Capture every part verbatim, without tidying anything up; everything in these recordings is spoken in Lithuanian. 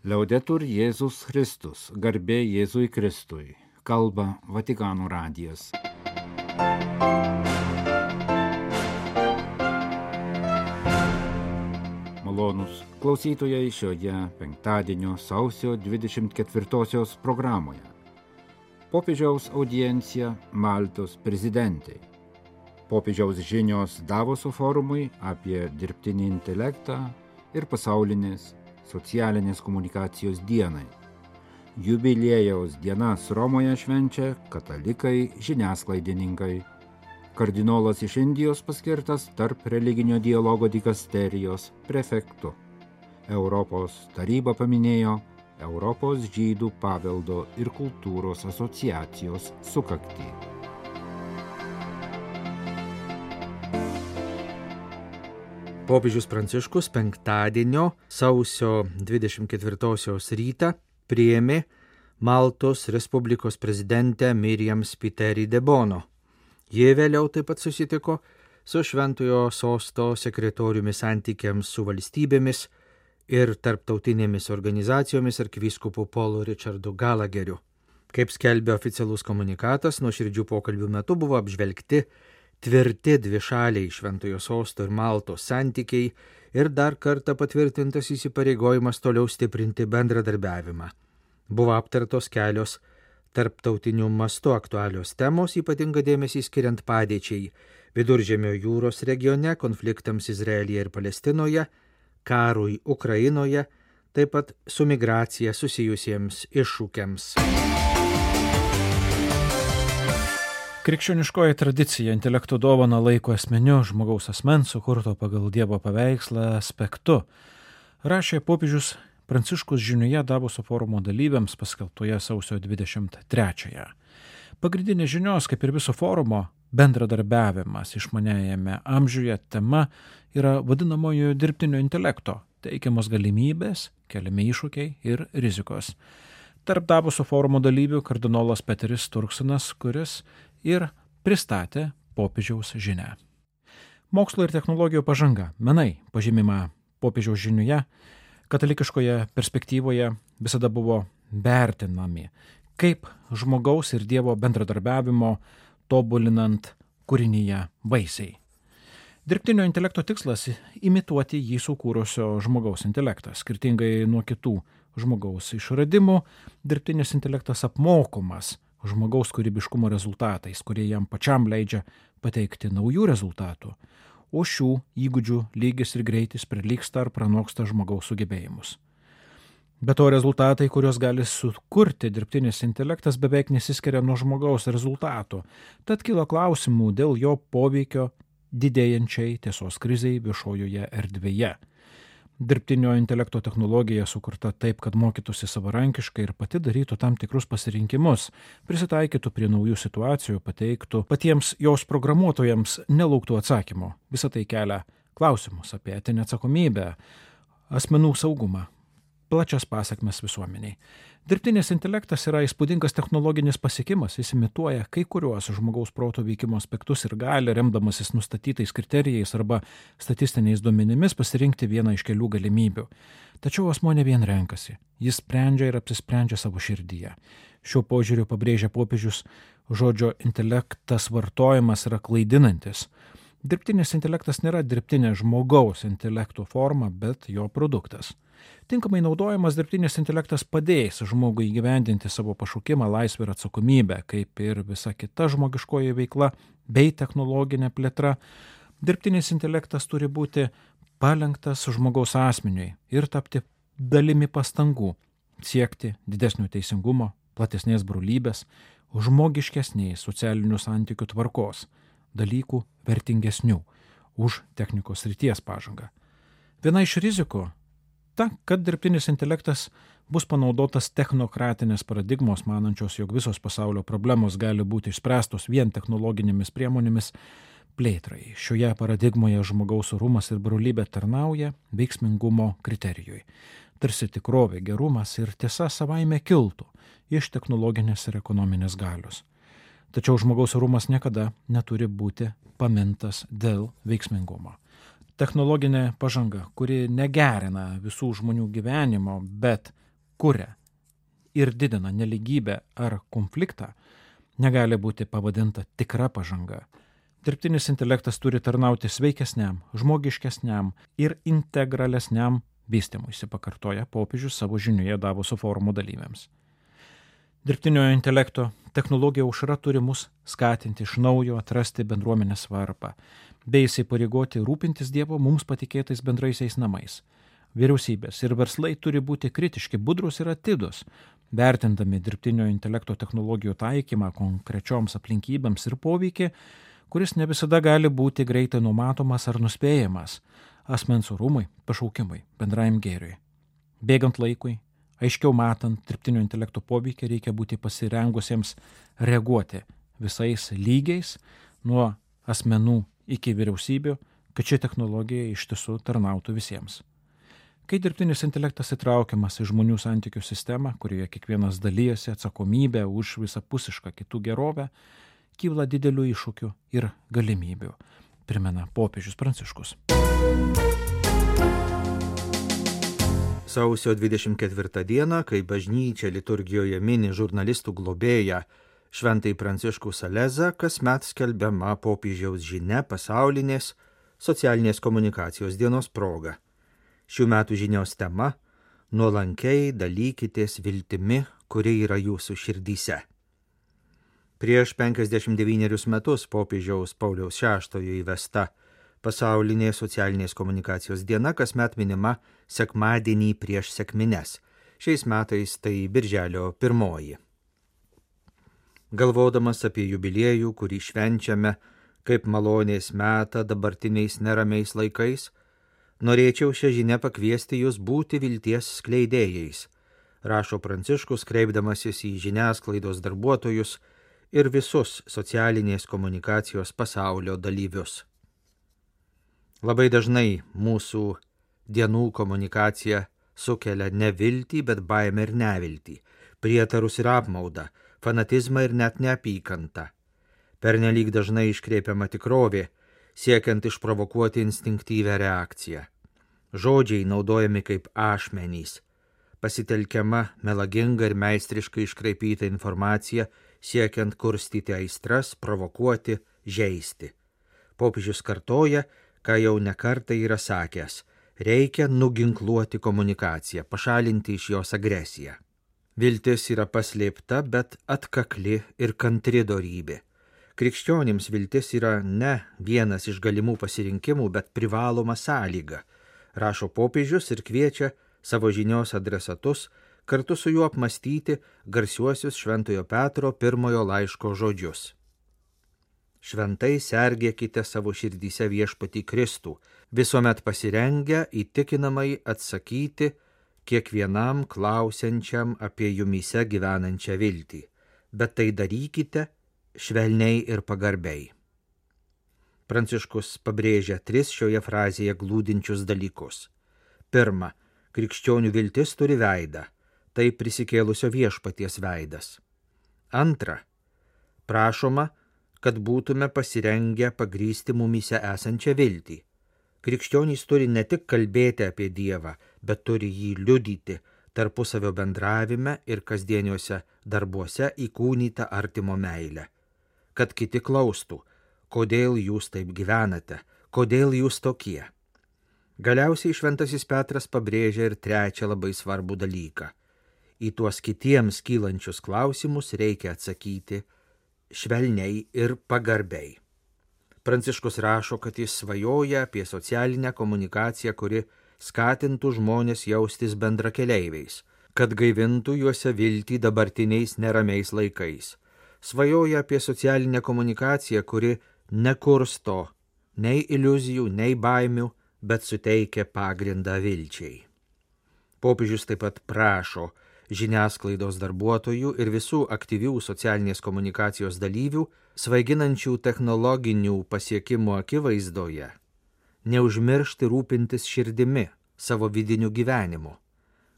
Liaudetur Jėzus Kristus, garbė Jėzui Kristui, kalba Vatikano radijas. Malonūs klausytojai šioje penktadienio sausio dvidešimt ketvirtosios programoje. Popiežiaus audiencija Maltos prezidentei. Popiežiaus žinios Davoso forumui apie dirbtinį intelektą ir pasaulinės socialinės komunikacijos dienai. Jubiliejaus dienas Romoje švenčia katalikai, žiniasklaidininkai. Kardinolas iš Indijos paskirtas tarp religinio dialogo dikasterijos prefektu. Europos taryba paminėjo Europos žydų paveldo ir kultūros asociacijos sukaktį. Popiežius Pranciškus penktadienio sausio dvidešimt ketvirtosios rytą priėmė Maltos Respublikos prezidentę Miriam Spiteri de Bono. Jie vėliau taip pat susitiko su Šventojo sosto sekretoriumi santykiams su valstybėmis ir tarptautinėmis organizacijomis arkivyskupu Paulu Richardu Gallagheriu. Kaip skelbia oficialus komunikatas, nuoširdžių pokalbių metu buvo apžvelgti tvirti dvišaliai Šventojo sosto ir Maltos santykiai ir dar kartą patvirtintas įsipareigojimas toliau stiprinti bendradarbiavimą. Buvo aptartos kelios tarptautiniu mastu aktualios temos, ypatinga dėmesį skiriant padėčiai Viduržemio jūros regione, konfliktams Izraelyje ir Palestinoje, karui Ukrainoje, taip pat su migracija susijusiems iššūkiams. Krikščioniškoji tradicija intelekto dovaną laiko esminiu žmogaus asmens sukurto pagal Dievo paveikslą aspektu, rašė popiežius Pranciškus žinioje Davoso forumo dalyviams paskelbtoje sausio dvidešimt trečiąją. Pagrindinė žinios, kaip ir viso forumo, bendradarbiavimas išmaniajame amžiuje tema yra vadinamojo dirbtinio intelekto, teikiamos galimybės, keliami iššūkiai ir rizikos. Tarp Davoso forumo dalyvių kardinolas Peteris Turksonas, kuris ir pristatė popiežiaus žinią. Mokslo ir technologijų pažanga, menai, pažymima popiežiaus žinioje, katalikiškoje perspektyvoje visada buvo vertinami kaip žmogaus ir Dievo bendradarbiavimo tobulinant kūrinyje vaisiai. Dirbtinio intelekto tikslas – imituoti jį sukūrusio žmogaus intelektą. Skirtingai nuo kitų žmogaus išradimų, dirbtinis intelektas apmokomas žmogaus kūrybiškumo rezultatais, kurie jam pačiam leidžia pateikti naujų rezultatų, o šių įgūdžių lygis ir greitis prilygsta ar pranoksta žmogaus sugebėjimus. Be to rezultatai, kuriuos gali sukurti dirbtinis intelektas, beveik nesiskiria nuo žmogaus rezultatų, tad kilo klausimų dėl jo poveikio didėjančiai tiesos krizei viešojoje erdvėje. Dirbtinio intelekto technologija sukurta taip, kad mokytųsi savarankiškai ir pati darytų tam tikrus pasirinkimus, prisitaikytų prie naujų situacijų, pateiktų patiems jos programuotojams nelauktų atsakymų. Visą tai kelia klausimus apie etinę atsakomybę, asmenų saugumą, plačias pasekmes visuomeniai. Dirbtinis intelektas yra įspūdingas technologinis pasiekimas, jis imituoja kai kuriuos žmogaus proto veikimo aspektus ir gali, remdamasis nustatytais kriterijais arba statistiniais duomenimis, pasirinkti vieną iš kelių galimybių. Tačiau asmuo ne vien renkasi, jis sprendžia ir apsisprendžia savo širdyje. Šiuo požiūriu pabrėžia popiežius, žodžio intelektas vartojimas yra klaidinantis. Dirbtinis intelektas nėra dirbtinė žmogaus intelekto forma, bet jo produktas. Tinkamai naudojamas dirbtinis intelektas padės žmogui įgyvendinti savo pašaukimą, laisvę ir atsakomybę, kaip ir visa kita žmogiškoji veikla bei technologinė plėtra. Dirbtinis intelektas turi būti palenktas žmogaus asmeniui ir tapti dalimi pastangų, siekti didesnio teisingumo, platesnės brolybės, žmogiškesnės socialinių santykių tvarkos, dalykų vertingesnių už technikos srities pažangą. Viena iš rizikų ta, kad dirbtinis intelektas bus panaudotas technokratinės paradigmos, manančios, jog visos pasaulio problemos gali būti išspręstos vien technologinėmis priemonėmis plėtrai. Šioje paradigmoje žmogaus orumas ir brolybė tarnauja veiksmingumo kriterijui. Tarsi tikrovė, gerumas ir tiesa savaime kiltų iš technologinės ir ekonominės galios. Tačiau žmogaus orumas niekada neturi būti pamintas dėl veiksmingumo. Technologinė pažanga, kuri negerina visų žmonių gyvenimo, bet kuria ir didina neligybę ar konfliktą, negali būti pavadinta tikra pažanga. Dirbtinis intelektas turi tarnauti sveikesniam, žmogiškesniam ir integralesniam vystymuisi, pakartoja popiežius savo žinioje Davoso forumo dalyviams. Dirbtinio intelekto technologija aušra turi mus skatinti iš naujo atrasti bendruomenės svarbą, bei įsipareigoti rūpintis Dievo mums patikėtais bendraisiais namais. Vyriausybės ir verslai turi būti kritiški, budrus ir atidus, vertindami dirbtinio intelekto technologijų taikymą konkrečioms aplinkybėms ir poveikį, kuris ne visada gali būti greitai numatomas ar nuspėjamas asmens orumui, pašaukimui, bendrajam gėriui. Bėgant laikui, aiškiau matant dirbtinio intelekto poveikį, reikia būti pasirengusiems reaguoti visais lygiais, nuo asmenų iki vyriausybių, kad ši technologija iš tiesų tarnautų visiems. Kai dirbtinis intelektas įtraukiamas į žmonių santykių sistemą, kurioje kiekvienas dalyjasi atsakomybę už visapusišką kitų gerovę, kyla didelių iššūkių ir galimybių, primena popiežius Pranciškus. Sausio dvidešimt ketvirtą dieną, kai bažnyčia liturgijoje mini žurnalistų globėją Šventąjį Pranciškų Salezą, kasmet skelbiama popiežiaus žinia pasaulinės socialinės komunikacijos dienos proga. Šių metų žinios tema – nuolankiai dalykitės viltimi, kuri yra jūsų širdyse. Prieš penkiasdešimt devynerius metus popiežiaus Pauliaus šeštojo įvesta pasaulinė socialinės komunikacijos diena kasmet minima sekmadienį prieš sekmines. Šiais metais tai birželio pirmoji. Galvodamas apie jubiliejų, kurį švenčiame kaip malonės metą dabartiniais neramiais laikais, norėčiau šią žinią pakviesti jūs būti vilties skleidėjais, rašo Pranciškus, kreipdamasis į žiniasklaidos darbuotojus ir visus socialinės komunikacijos pasaulio dalyvius. Labai dažnai mūsų dienų komunikacija sukelia ne viltį, bet baimę ir neviltį, prietarus ir apmaudą, fanatizmą ir net neapykantą. Pernelyg dažnai iškreipiama tikrovė, siekiant išprovokuoti instinktyvę reakciją. Žodžiai naudojami kaip ašmenys, pasitelkiama melaginga ir meistriškai iškraipyta informacija, siekiant kurstyti aistras, provokuoti, žeisti. Popiežius kartoja, ką jau nekartą yra sakęs, reikia nuginkluoti komunikaciją, pašalinti iš jos agresiją. Viltis yra paslėpta, bet atkakli ir kantri dorybė. Krikščionims viltis yra ne vienas iš galimų pasirinkimų, bet privaloma sąlyga, rašo popiežius ir kviečia savo žinios adresatus kartu su juo apmastyti garsiuosius Šventojo Petro pirmojo laiško žodžius. Šventai sergėkite savo širdyse viešpatį Kristų, visuomet pasirengę įtikinamai atsakyti kiekvienam klausiančiam apie jumyse gyvenančią viltį, bet tai darykite švelniai ir pagarbiai. Pranciškus pabrėžia tris šioje frazėje glūdinčius dalykus. Pirma, krikščionių viltis turi veidą, tai prisikėlusio viešpaties veidas. Antra, prašoma, kad būtume pasirengę pagrįsti mumyse esančią viltį. Krikščionys turi ne tik kalbėti apie Dievą, bet turi jį liudyti tarpusavio bendravime ir kasdieniuose darbuose įkūnytą artimo meilę. Kad kiti klaustų, kodėl jūs taip gyvenate, kodėl jūs tokie. Galiausiai Šventasis Petras pabrėžia ir trečią labai svarbų dalyką. Į tuos kitiems kylančius klausimus reikia atsakyti švelniai ir pagarbiai. Pranciškus rašo, kad jis svajoja apie socialinę komunikaciją, kuri skatintų žmonės jaustis bendrakeleiviais, kad gaivintų juose viltį dabartiniais neramiais laikais. Svajoja apie socialinę komunikaciją, kuri nekursto nei iliuzijų, nei baimių, bet suteikia pagrindą vilčiai. Popiežius taip pat prašo žiniasklaidos darbuotojų ir visų aktyvių socialinės komunikacijos dalyvių, svaiginančių technologinių pasiekimų akivaizdoje, neužmiršti rūpintis širdimi, savo vidiniu gyvenimu.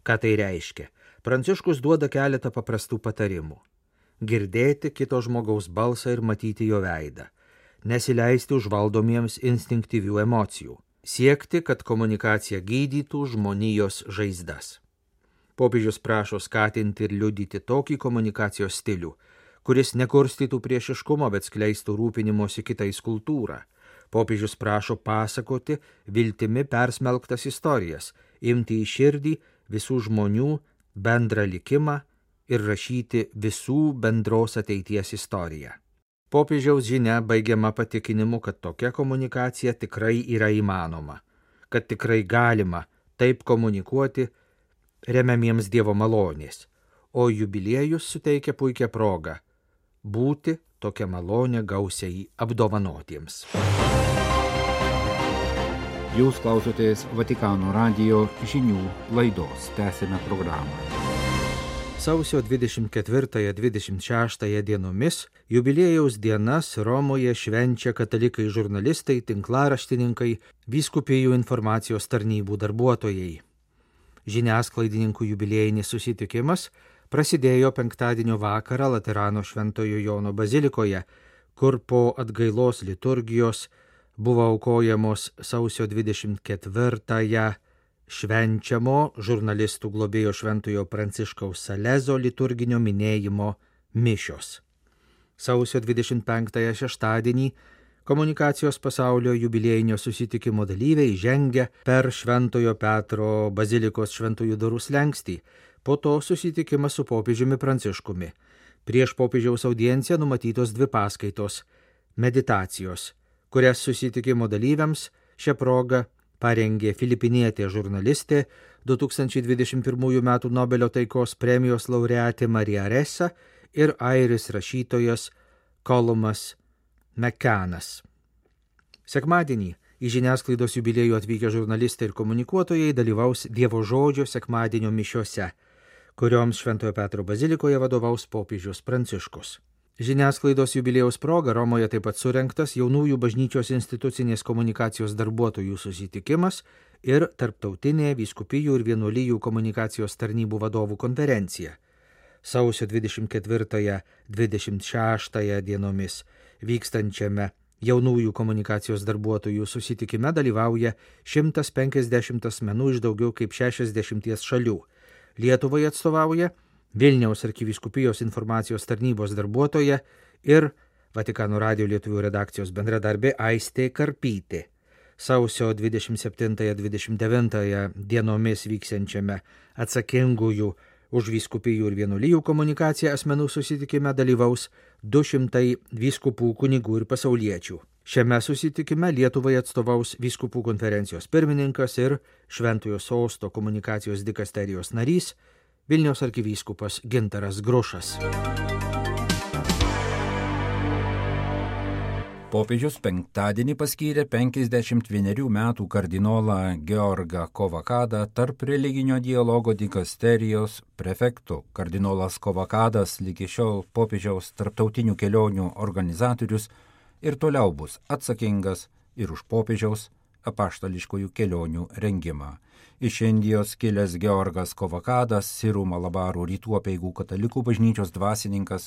Ką tai reiškia? Pranciškus duoda keletą paprastų patarimų. Girdėti kito žmogaus balsą ir matyti jo veidą, nesileisti užvaldomiems instinktyvių emocijų, siekti, kad komunikacija gydytų žmonijos žaizdas. Popiežius prašo skatinti ir liudyti tokį komunikacijos stilių, kuris nekurstytų priešiškumo, bet skleistų rūpinimosi kitais kultūrą. Popiežius prašo pasakoti viltimi persmelktas istorijas, imti į širdį visų žmonių bendrą likimą ir rašyti visų bendros ateities istoriją. Popiežiaus žinia baigiama patikinimu, kad tokia komunikacija tikrai yra įmanoma, kad tikrai galima taip komunikuoti remiamiems Dievo malonės, o jubiliejus suteikia puikią progą būti tokią malonę gausiai apdovanotiems. Jūs klausotės Vatikano radijo žinių laidos. Tęsime programą. Sausio dvidešimt ketvirtąją - dvidešimt šeštąją dienomis jubiliejaus dienas Romoje švenčia katalikai žurnalistai, tinklaraštininkai, vyskupijų informacijos tarnybų darbuotojai. Žiniasklaidininkų jubiliejinis susitikimas prasidėjo penktadienio vakarą Laterano Šventojo Jono bazilikoje, kur po atgailos liturgijos buvo aukojamos sausio dvidešimt ketvirtąją švenčiamo žurnalistų globėjo Šventojo Pranciškaus Salezo liturginio minėjimo mišios. Sausio dvidešimt penktąją šeštadienį komunikacijos pasaulio jubiliejinio susitikimo dalyviai žengia per Šventojo Petro bazilikos šventųjų durų slenkstį, po to susitikimas su popiežiumi Pranciškumi. Prieš popiežiaus audienciją numatytos dvi paskaitos - meditacijos, kurias susitikimo dalyviams šią progą parengė filipinietė žurnalistė du tūkstančiai dvidešimt pirmųjų metų Nobelio taikos premijos laureatė Marija Ressa ir airis rašytojas Columas McCannas. Sekmadienį į žiniasklaidos jubiliejų atvykę žurnalistai ir komunikuotojai dalyvaus Dievo žodžio sekmadienio mišiose, kurioms Šventojo Petro bazilikoje vadovaus popiežius Pranciškus. Žiniasklaidos jubiliejaus proga Romoje taip pat surengtas jaunųjų bažnyčios institucinės komunikacijos darbuotojų susitikimas ir tarptautinė vyskupijų ir vienuolijų komunikacijos tarnybų vadovų konferencija. Sausio dvidešimt ketvirtąją - dvidešimt šeštąją dienomis vykstančiame jaunųjų komunikacijos darbuotojų susitikime dalyvauja šimtas penkiasdešimt asmenų iš daugiau kaip šešiasdešimties šalių. Lietuvai atstovauja Vilniaus arkivyskupijos informacijos tarnybos darbuotoja ir Vatikano radijo lietuvių redakcijos bendradarbė Aistė Karpytė. Sausio dvidešimt septintąją - dvidešimt devintąją dienomis vyksiančiame atsakingųjų už vyskupijų ir vienuolijų komunikaciją asmenų susitikime dalyvaus du šimtai vyskupų, kunigų ir pasauliečių. Šiame susitikime Lietuvai atstovaus vyskupų konferencijos pirmininkas ir Šventojo sosto komunikacijos dikasterijos narys Vilniaus arkivyskupas Gintaras Grušas. Popiežius penktadienį paskyrė penkiasdešimt vienerių metų kardinolą Georgą Kovakadą tarp religinio dialogo dikasterijos prefektų. Kardinolas Kovakadas lygi šiol popiežiaus tarptautinių kelionių organizatorius ir toliau bus atsakingas ir už popiežiaus apaštališkųjų kelionių rengimą. Iš Indijos kilęs Georgas Kovakadas, Sirų Malabarų rytų apeigų katalikų bažnyčios dvasininkas,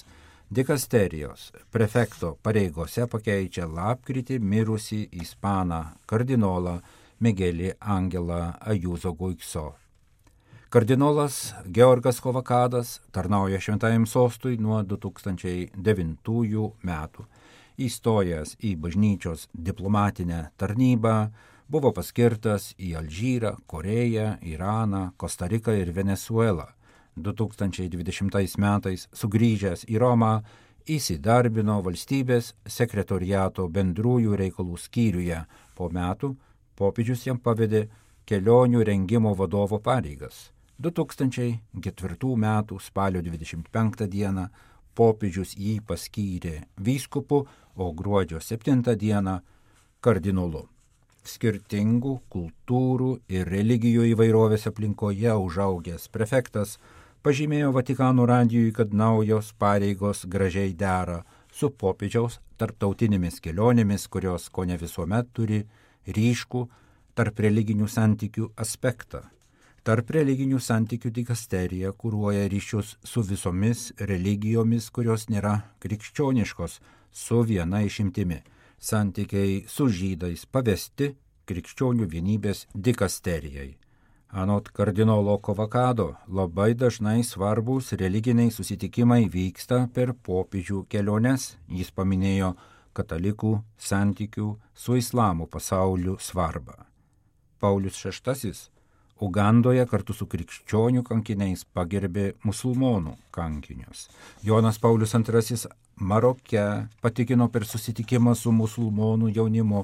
dikasterijos prefekto pareigose pakeičia lapkritį mirusį ispaną kardinolą Miguelį Angelą Ajuzo Guikso. Kardinolas Georgas Kovakadas tarnauja Šventajam sostui nuo du tūkstančiai devintųjų metų. Įstojęs į bažnyčios diplomatinę tarnybą, buvo paskirtas į Alžyrą, Koreją, Iraną, Kostariką ir Venezuelą. du tūkstančiai dvidešimtais metais sugrįžęs į Romą įsidarbino valstybės sekretoriato bendrųjų reikalų skyriuje. Po metų popiežius jam pavedė kelionių rengimo vadovo pareigas. du tūkstančiai ketvirtų metų spalio dvidešimt penktą dieną popiežius jį paskyrė vyskupu, o gruodžio septintą dieną kardinolu. Skirtingų kultūrų ir religijų įvairovės aplinkoje užaugęs prefektas pažymėjo Vatikano radijui, kad naujos pareigos gražiai dera su popiežiaus tarptautinėmis kelionėmis, kurios kone visuomet turi ryškų tarp religinių santykių aspektą. Tarp religinių santykių dikasterija kuruoja ryšius su visomis religijomis, kurios nėra krikščioniškos, su viena išimtimi. Santykiai su žydais pavesti krikščionių vienybės dikasterijai. Anot kardinolo Kovakado, labai dažnai svarbus religiniai susitikimai vyksta per popiežių keliones. Jis paminėjo katalikų santykių su islamo pasauliu svarbą. Paulius šeštasis Ugandoje kartu su krikščionių kankiniais pagerbė musulmonų kankinius. Jonas Paulius antrasis Maroke patikino per susitikimą su musulmonų jaunimu,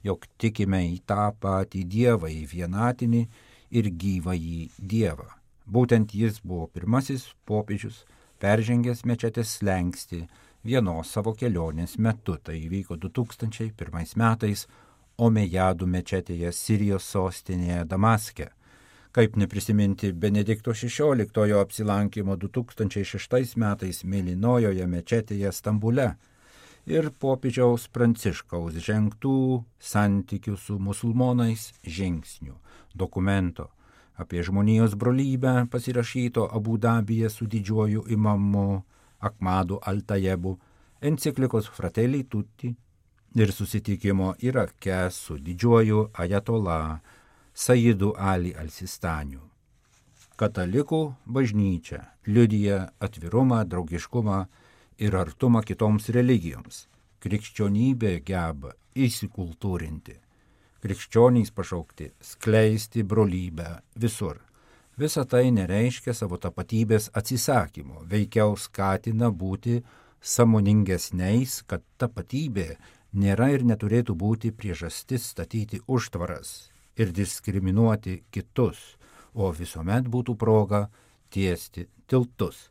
jog tikime į tą patį Dievą, į vienatinį ir gyvąjį Dievą. Būtent jis buvo pirmasis popiežius, peržengęs mečetės slenkstį vienos savo kelionės metu. Tai įvyko du tūkstančiai pirmais metais Omejadų mečetėje Sirijos sostinėje Damaske. Kaip neprisiminti Benedikto šešioliktojo apsilankimo du tūkstančiai šeštais metais Mėlynojoje mečetėje Stambule ir popiežiaus Pranciškaus žengtų santykių su musulmonais žingsnių dokumento apie žmonijos brolybę pasirašyto Abu Dabyje su didžiuoju imamu Ahmadu Al-Tajebu, enciklikos Fratelli Tutti ir susitikimo Irake su didžiuoju ajatola Sajidu Ali Al-Sistaniu. Katalikų bažnyčia liudija atvirumą, draugiškumą ir artumą kitoms religijoms. Krikščionybė geba įsikultūrinti. Krikščionys pašaukti skleisti brolybę visur. Visa tai nereiškia savo tapatybės atsisakymo, veikiau skatina būti sąmoningesniais, kad tapatybė nėra ir neturėtų būti priežastis statyti užtvaras ir diskriminuoti kitus, o visuomet būtų proga tiesti tiltus,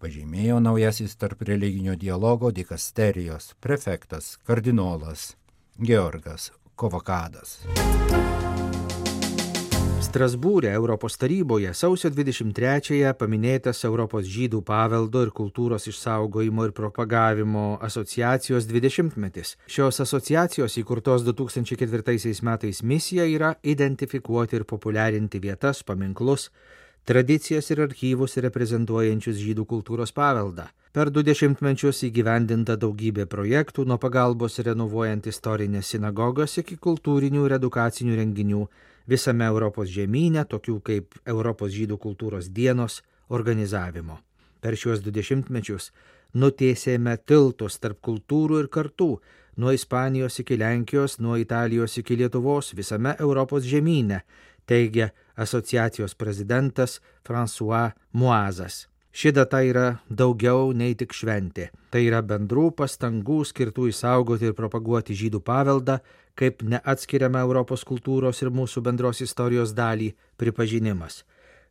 pažymėjo naujasis tarp religinio dialogo dikasterijos prefektas kardinolas Georgas Kovakadas. Strasbūre Europos taryboje sausio dvidešimt trečiąją paminėtas Europos žydų paveldo ir kultūros išsaugojimo ir propagavimo asociacijos dvidešimtmetis. Šios asociacijos įkurtos du tūkstančiai ketvirtaisiais metais misija yra identifikuoti ir populiarinti vietas, paminklus, tradicijas ir archyvus reprezentuojančius žydų kultūros paveldą. Per du dešimtmečius įgyvendinta daugybė projektų, nuo pagalbos renovuojant istorinės sinagogas iki kultūrinių ir edukacinių renginių visame Europos žemyne, tokių kaip Europos žydų kultūros dienos organizavimo. Per šiuos du dešimtmečius nutiesėme tiltus tarp kultūrų ir kartų, nuo Ispanijos iki Lenkijos, nuo Italijos iki Lietuvos visame Europos žemyne, teigia asociacijos prezidentas François Moazas. Ši data yra daugiau nei tik šventė. Tai yra bendrų pastangų skirtų išsaugoti ir propaguoti žydų paveldą, kaip neatskiriamą Europos kultūros ir mūsų bendros istorijos dalį pripažinimas.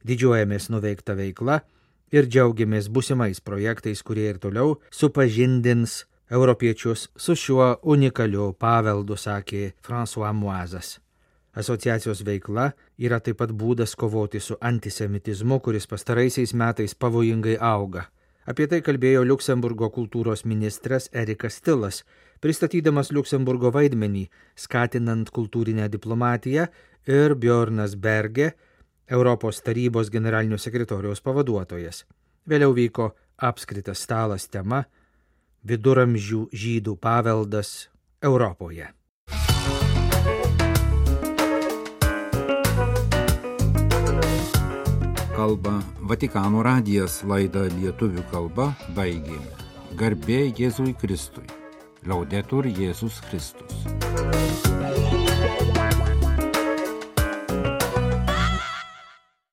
Didžiuojamės nuveikta veikla ir džiaugiamės būsimais projektais, kurie ir toliau supažindins europiečius su šiuo unikaliu paveldu, sakė François Moazas. Asociacijos veikla yra taip pat būdas kovoti su antisemitizmu, kuris pastaraisiais metais pavojingai auga. Apie tai kalbėjo Liuksemburgo kultūros ministras Erikas Tilas, pristatydamas Liuksemburgo vaidmenį, skatinant kultūrinę diplomatiją, ir Bjornas Berge, Europos tarybos generalinio sekretoriaus pavaduotojas. Vėliau vyko apskritas stalas tema Viduramžių žydų paveldas Europoje. Kalba Vatikano radijas, laidą lietuvių kalba baigėme. Garbė Jėzui Kristui. Laudetur Jėzus Kristus.